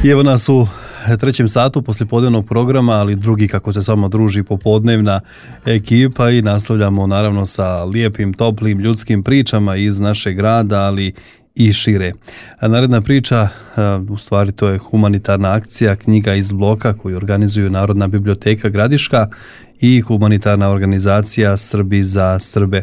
I evo nas u trećem satu poslijepodnevnog programa, ali drugi kako se samo druži popodnevna ekipa i nastavljamo naravno sa lijepim, toplim, ljudskim pričama iz našeg grada, ali i šire. A naredna priča, u stvari to je humanitarna akcija Knjiga iz bloka koju organizuju Narodna biblioteka Gradiška i humanitarna organizacija Srbi za Srbe.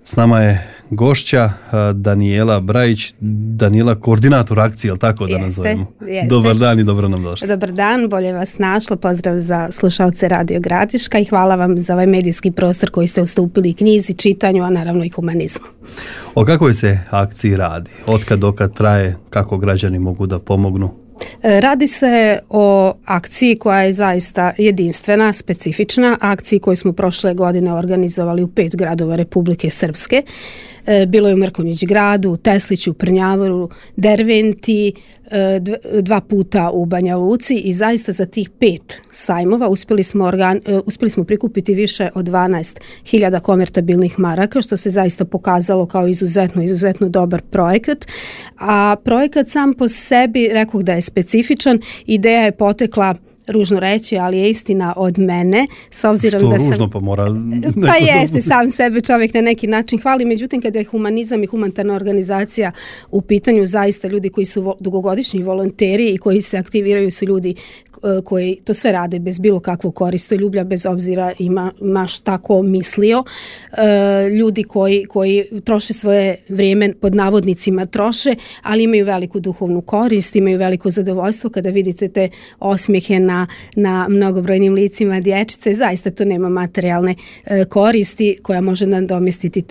S nama je gošća Danijela Brajić, Danijela koordinator akcije, je li tako da nazovemo? Jeste. Dobar dan i dobro nam došli. Dobar dan, bolje vas našlo, pozdrav za slušalce Radio Gradiška i hvala vam za ovaj medijski prostor koji ste ustupili knjizi, čitanju, a naravno i humanizmu. O kakvoj se akciji radi? Otkad dokad traje, kako građani mogu da pomognu? Radi se o akciji koja je zaista jedinstvena, specifična, akciji koju smo prošle godine organizovali u 5 gradova Republike Srpske. Bilo je u Mrkonjić gradu, Tesliću, Prnjavoru, Derventi, 2 puta u Banja Luci i zaista za tih 5 sajmova uspjeli smo prikupiti više od 12.000 konvertabilnih maraka, što se zaista pokazalo kao izuzetno dobar projekat. A projekat sam po sebi, rekoh da je specifičan, ideja je potekla, ružno reći, ali je istina od mene, s obzirom da sam... Što ružno pa mora... Pa jeste, sam sebe čovjek na neki način hvali, međutim kada je humanizam i humanitarna organizacija u pitanju, zaista ljudi koji su dugogodišnji volonteri i koji se aktiviraju su ljudi koji to sve rade bez bilo kakvog koristoljublja, bez obzira ima šta ko mislio. Ljudi koji troše svoje vrijeme, pod navodnicima troše, ali imaju veliku duhovnu korist, imaju veliko zadovoljstvo kada vidite te osmijehe na mnogobrojnim licima dječice. Zaista to nema materijalne koristi koja može nadomjestiti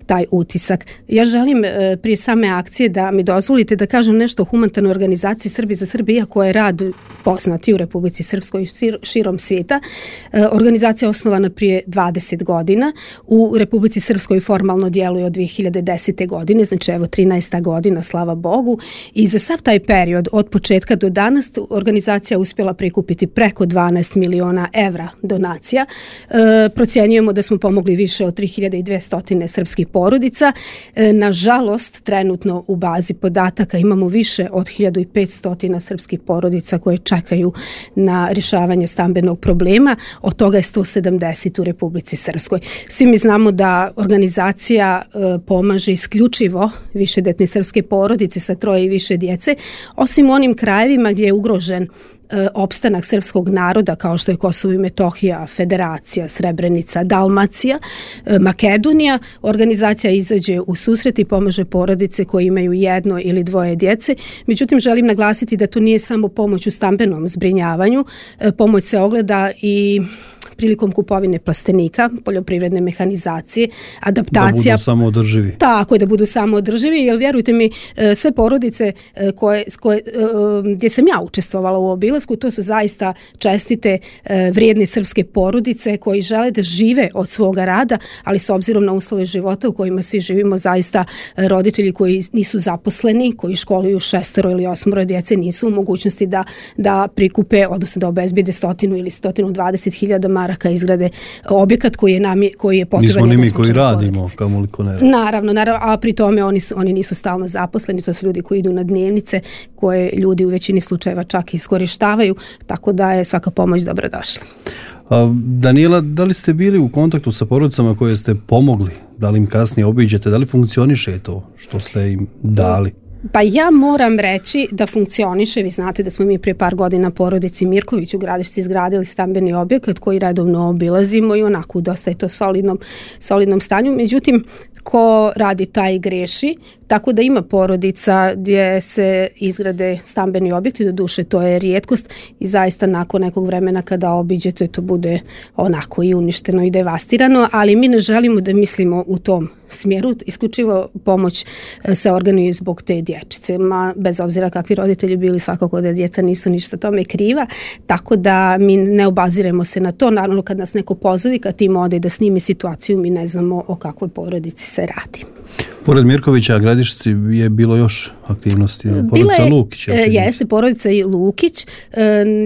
taj utisak. Ja želim prije same akcije da mi dozvolite da kažem nešto o humanitarnoj organizaciji Srbi za Srbe, iako je rad poznati u Republici Srpskoj i širom svijeta. Organizacija je osnovana prije 20 godina. U Republici Srpskoj formalno djeluje od 2010. godine, znači evo 13. godina, slava Bogu. I za sav taj period, od početka do danas, organizacija uspjela prikupiti preko 12 miliona evra donacija. Procjenjujemo da smo pomogli više od 3200 srpskih porodica. Nažalost, trenutno u bazi podataka imamo više od 1500 srpskih porodica koje čekaju na rješavanje stambenog problema, od toga je 170 u Republici Srpskoj. Svi mi znamo da organizacija pomaže isključivo višedetne srpske porodice sa 3 i više djece, osim u onim krajevima gdje je ugrožen opstanak srpskog naroda kao što je Kosovo i Metohija, Federacija, Srebrenica, Dalmacija, Makedonija. Organizacija izađe u susret i pomaže porodice koje imaju 1 ili 2 djece. Međutim, želim naglasiti da to nije samo pomoć u stambenom zbrinjavanju. Pomoć se ogleda i prilikom kupovine plastenika, poljoprivredne mehanizacije, adaptacija. Da budu samoodrživi. Tako je, da budu samoodrživi, jer vjerujte mi, sve porodice gdje sam ja učestvovala u obilasku, to su zaista čestite, vrijedne srpske porodice koji žele da žive od svoga rada, ali s obzirom na uslove života u kojima svi živimo, zaista roditelji koji nisu zaposleni, koji školuju 6 ili 8 djece, nisu u mogućnosti da prikupe, odnosno da obezbijede 100 ili 120.000 maraka izgrade objekat koji je potreban. Nismo ni mi koji radimo, kamoliko ne radimo. Naravno, a pri tome oni nisu stalno zaposleni, to su ljudi koji idu na dnevnice, koje ljudi u većini slučajeva čak iskorištavaju, tako da je svaka pomoć dobrodošla. Danijela, da li ste bili u kontaktu sa porodicama koje ste pomogli? Da li im kasnije obiđete? Da li funkcioniše to što ste im dali? Pa ja moram reći da funkcioniše. Vi znate da smo mi prije par godina porodici Mirković u Gradišci izgradili stambeni objekat koji redovno obilazimo i onako dosta je to solidnom stanju. Međutim, ko radi taj greši, tako da ima porodica gdje se izgrade stambeni objekti, doduše to je rijetkost i zaista nakon nekog vremena kada obiđete to bude onako i uništeno i devastirano, ali mi ne želimo da mislimo u tom smjeru, isključivo pomoć se organizuje zbog te dječice, bez obzira kakvi roditelji bili, svakako da djeca nisu ništa tome kriva, tako da mi ne obaziremo se na to. Naravno kad nas neko pozove, kad tim ode da snimi situaciju, mi ne znamo o kakvoj porodici se radi. Pored Mirkovića, Gradišci je bilo još aktivnosti. Porodica Lukić. Jeste, porodica Lukić.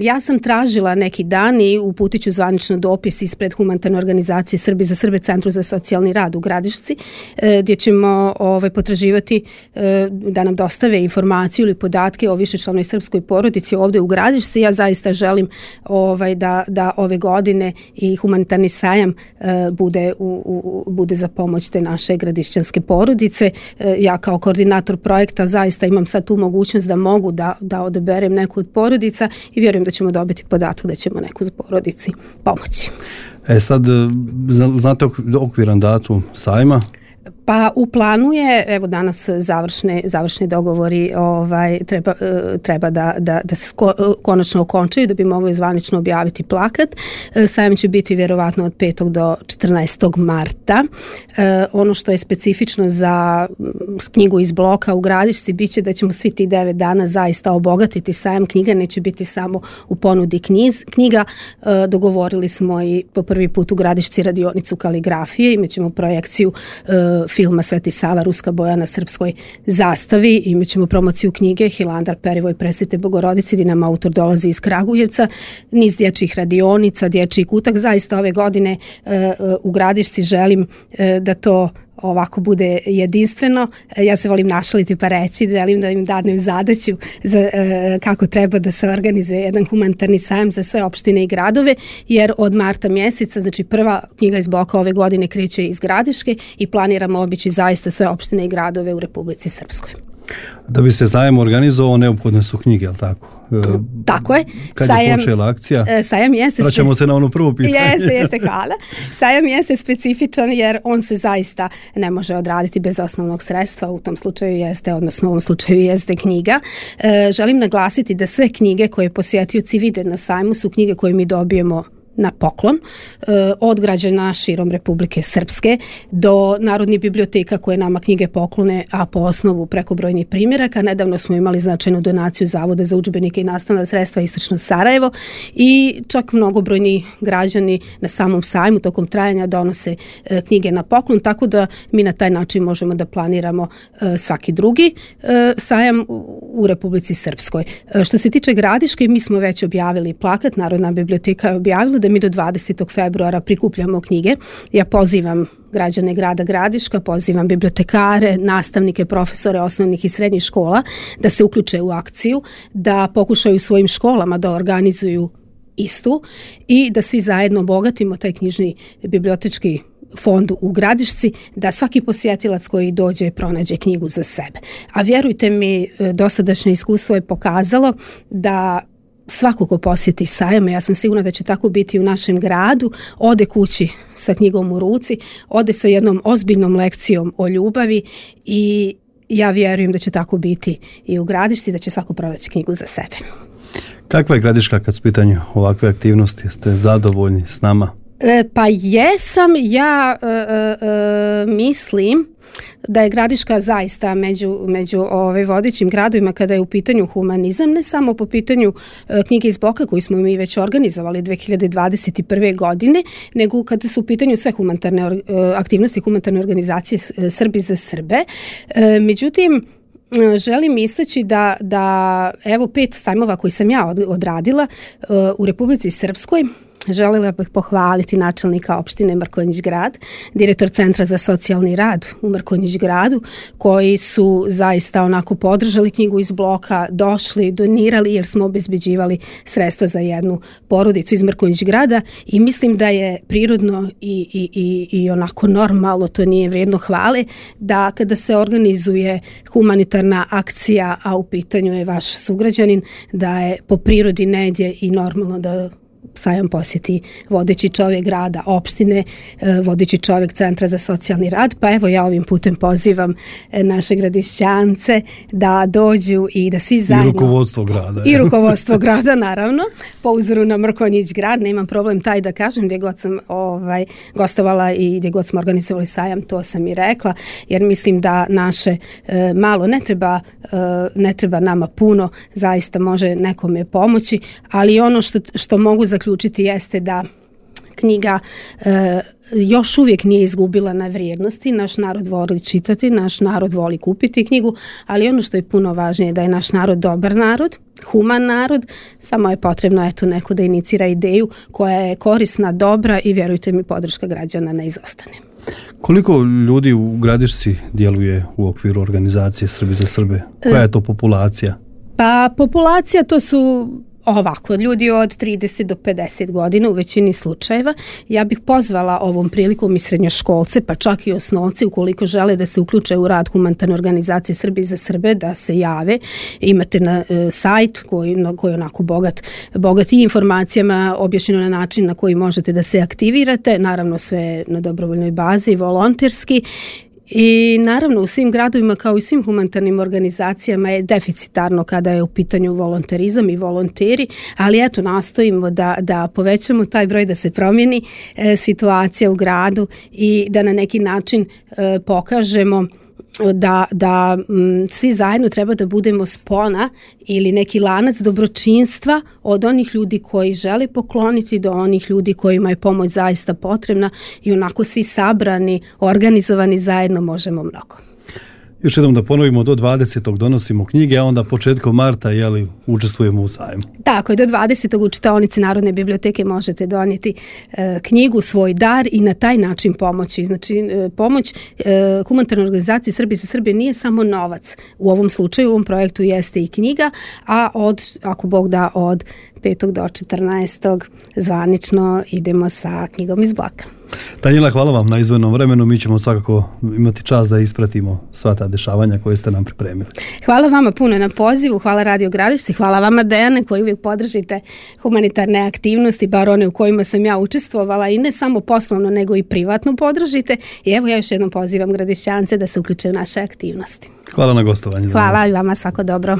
Ja sam tražila neki dan i uputit ću zvanično dopis ispred humanitarne organizacije Srbi za Srbe, Centru za socijalni rad u Gradišci, gdje ćemo potraživati da nam dostave informaciju ili podatke o višečlanoj srpskoj porodici ovdje u Gradišci. Ja zaista želim da ove godine i humanitarni sajam bude za pomoć te naše gradišćanske porodice. Ja kao koordinator projekta zaista imam sad tu mogućnost da mogu da odaberem neku od porodica i vjerujem da ćemo dobiti podatak da ćemo neku porodici pomoći. Sad, znate okviran datum sajma? Pa u planu je, evo danas završni dogovori treba da se konačno okončaju da bi mogli zvanično objaviti plakat. Sajam će biti vjerovatno od 5. do 14. marta. Ono što je specifično za knjigu iz bloka u Gradišci biće da ćemo svi ti 9 dana zaista obogatiti sajam knjiga, neće biti samo u ponudi knjiga. Dogovorili smo i po prvi put u Gradišci radionicu kaligrafije, imat ćemo projekciju filma Sveti Sava, ruska boja na srpskoj zastavi, imat ćemo promociju knjige Hilandar, Perivoj Presvete Bogorodice, gdje nam autor dolazi iz Kragujevca, niz dječjih radionica, dječji kutak. Zaista ove godine u Gradišci želim da to ovako bude jedinstveno. Ja se volim našaliti pa reći, želim da im dadnem zadaću kako treba da se organizuje jedan humanitarni sajam za sve opštine i gradove, jer od marta mjeseca, znači prva knjiga iz bloka ove godine kreće iz Gradiške i planiramo obići zaista sve opštine i gradove u Republici Srpskoj. Da bi se sajam organizovao, neophodne su knjige, je li tako? Tako je. Kad je počela akcija? Sajam jeste... Vraćamo se na ono prvo pitanje. Jeste, hvala. Sajam jeste specifičan jer on se zaista ne može odraditi bez osnovnog sredstva, u tom slučaju jeste, odnosno u ovom slučaju jeste knjiga. Želim naglasiti da sve knjige koje posjetioci vide na sajmu su knjige koje mi dobijemo na poklon od građana širom Republike Srpske do Narodnih biblioteka koje nama knjige poklone, a po osnovu prekobrojnih primjeraka. Nedavno smo imali značajnu donaciju Zavoda za udžbenike i nastavna sredstva Istočno Sarajevo i čak mnogobrojni građani na samom sajmu tokom trajanja donose knjige na poklon, tako da mi na taj način možemo da planiramo svaki drugi sajam u Republici Srpskoj. Što se tiče Gradiške, mi smo već objavili plakat, Narodna biblioteka je objavila da mi do 20. februara prikupljamo knjige. Ja pozivam građane grada Gradiška, pozivam bibliotekare, nastavnike, profesore osnovnih i srednjih škola da se uključe u akciju, da pokušaju svojim školama da organizuju istu i da svi zajedno obogatimo taj knjižni bibliotečki fond u Gradišci, da svaki posjetilac koji dođe pronađe knjigu za sebe. A vjerujte mi, dosadašnje iskustvo je pokazalo da svako ko posjeti sajam, ja sam sigurna da će tako biti u našem gradu, ode kući sa knjigom u ruci, ode sa jednom ozbiljnom lekcijom o ljubavi i ja vjerujem da će tako biti i u Gradišci, da će svako pronaći knjigu za sebe. Kakva je Gradiška kad su pitanju ovakve aktivnosti? Jeste zadovoljni s nama? Pa jesam, ja mislim da je Gradiška zaista među vodećim gradovima kada je u pitanju humanizam, ne samo po pitanju knjige iz bloka koju smo mi već organizovali 2021. godine, nego kada su u pitanju sve humanitarne aktivnosti, humanitarne organizacije Srbi za Srbe. Međutim, želim istaći da evo 5 sajmova koji sam ja odradila u Republici Srpskoj. Željela bih pohvaliti načelnika opštine Mrkonjić grad, direktor Centra za socijalni rad u Mrkonjić gradu, koji su zaista onako podržali knjigu iz bloka, došli, donirali jer smo obezbeđivali sredstva za jednu porodicu iz Mrkonjić grada i mislim da je prirodno i onako normalno, to nije vrijedno hvale, da kada se organizuje humanitarna akcija, a u pitanju je vaš sugrađanin, da je po prirodi nedje i normalno da sajam posjeti vodeći čovjek grada, opštine, vodeći čovjek Centra za socijalni rad, pa evo ja ovim putem pozivam naše gradišćance da dođu i da svi zajedno... I rukovodstvo grada. I rukovodstvo grada, naravno, po uzoru na Mrkonjić grad, nemam problem taj da kažem, gdje god sam gostovala i gdje god smo organizovali sajam, to sam i rekla, jer mislim da naše malo ne treba nama puno, zaista može nekome pomoći, ali ono što mogu zaključiti jeste da knjiga još uvijek nije izgubila na vrijednosti. Naš narod voli čitati, naš narod voli kupiti knjigu, ali ono što je puno važnije da je naš narod dobar narod, human narod, samo je potrebno neko da inicira ideju koja je korisna, dobra i vjerujte mi podrška građana ne izostane. Koliko ljudi u Gradišci djeluje u okviru organizacije Srbi za Srbe? Koja je to populacija? Pa populacija to su ovako, ljudi od 30 do 50 godina u većini slučajeva. Ja bih pozvala ovom prilikom i srednjoškolce, pa čak i osnovci, ukoliko žele da se uključe u rad humanitarne organizacije Srbi za Srbe, da se jave. Imate na sajt koji je onako bogat i informacijama, objašnjeno na način na koji možete da se aktivirate, naravno sve na dobrovoljnoj bazi, volonterski. I naravno u svim gradovima kao i svim humanitarnim organizacijama je deficitarno kada je u pitanju volonterizam i volonteri, ali eto nastojimo da povećamo taj broj, da se promijeni situacija u gradu i da na neki način pokažemo da svi zajedno treba da budemo spona ili neki lanac dobročinstva od onih ljudi koji žele pokloniti do onih ljudi kojima je pomoć zaista potrebna i onako svi sabrani, organizovani zajedno možemo mnogo. Još jednom da ponovimo, do 20. donosimo knjige, a onda početkom marta učestvujemo u sajmu. Tako je, do 20. u čitaonici Narodne biblioteke možete donijeti knjigu, svoj dar i na taj način pomoći. Znači, pomoć humanitarne organizacije Srbi za Srbe nije samo novac. U ovom slučaju, u ovom projektu jeste i knjiga, a ako Bog da, od 5. do 14. zvanično idemo sa knjigom iz Blaka. Danijela, hvala vam na izdvojenom vremenu. Mi ćemo svakako imati čast da ispratimo sva ta dešavanja koje ste nam pripremili. Hvala vama puno na pozivu, hvala Radio Gradišci, hvala vama Dejane koji uvijek podržite humanitarne aktivnosti, bar one u kojima sam ja učestvovala i ne samo poslovno nego i privatno podržite. I evo ja još jednom pozivam Gradišćance da se uključe u naše aktivnosti. Hvala na gostovanje. Hvala i vama, svako dobro.